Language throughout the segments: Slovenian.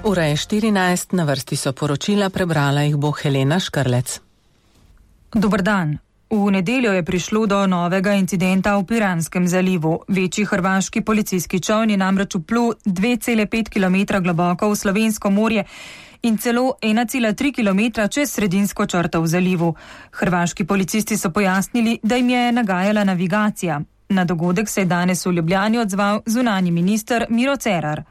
Ura je 14, na vrsti so poročila, prebrala jih bo Helena Škrlec. Dober dan. V nedeljo je prišlo do novega incidenta v Piranskem zalivu. Večji hrvaški policijski čoln je namreč vplul 2,5 km globoko v Slovensko morje in celo 1,3 km čez sredinsko črto v zalivu. Hrvaški policisti so pojasnili, da jim je nagajala navigacija. Na dogodek se je danes v Ljubljani odzval zunanji minister Miro Cerar.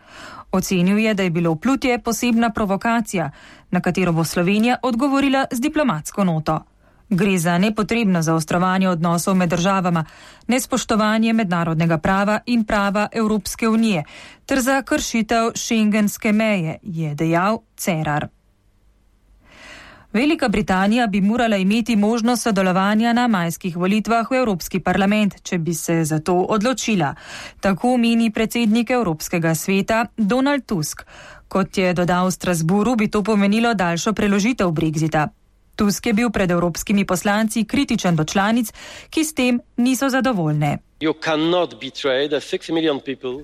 Ocenil je, da je bilo vplutje posebna provokacija, na katero bo Slovenija odgovorila z diplomatsko noto. Gre za nepotrebno zaostrovanje odnosov med državama, nespoštovanje mednarodnega prava in prava Evropske unije, ter za kršitev šengenske meje, je dejal Cerar. Velika Britanija bi morala imeti možnost sodelovanja na majskih volitvah v Evropski parlament, če bi se za to odločila. Tako meni predsednik Evropskega sveta Donald Tusk. Kot je dodal v Strasburu, bi to pomenilo daljšo preložitev Brexita. Tusk je bil pred evropskimi poslanci kritičen do članic, ki s tem niso zadovoljne.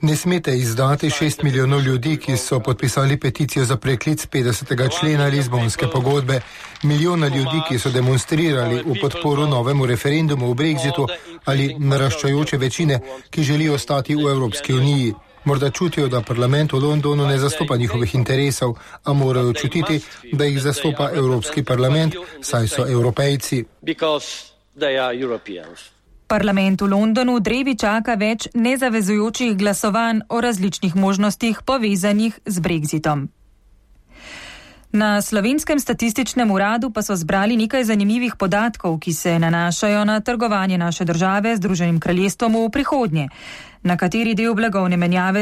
Ne smete izdati 6 milijonov ljudi, ki so podpisali peticijo za preklic 50. člena Lizbonske pogodbe, milijona ljudi, ki so demonstrirali v podporu novemu referendumu o Brexitu ali naraščajoče večine, ki želijo ostati v Evropski uniji. Morda čutijo, da parlament v Londonu ne zastopa njihovih interesov, a morajo čutiti, da jih zastopa Evropski parlament, saj so Evropejci. Parlament v Londonu drevi čaka več nezavezujočih glasovanj o različnih možnostih povezanih z Brexitom. Na Slovenskem statističnem uradu pa so zbrali nekaj zanimivih podatkov, ki se nanašajo na trgovanje naše države z Združenim kraljestvom v prihodnje. Na kateri del blagovne menjave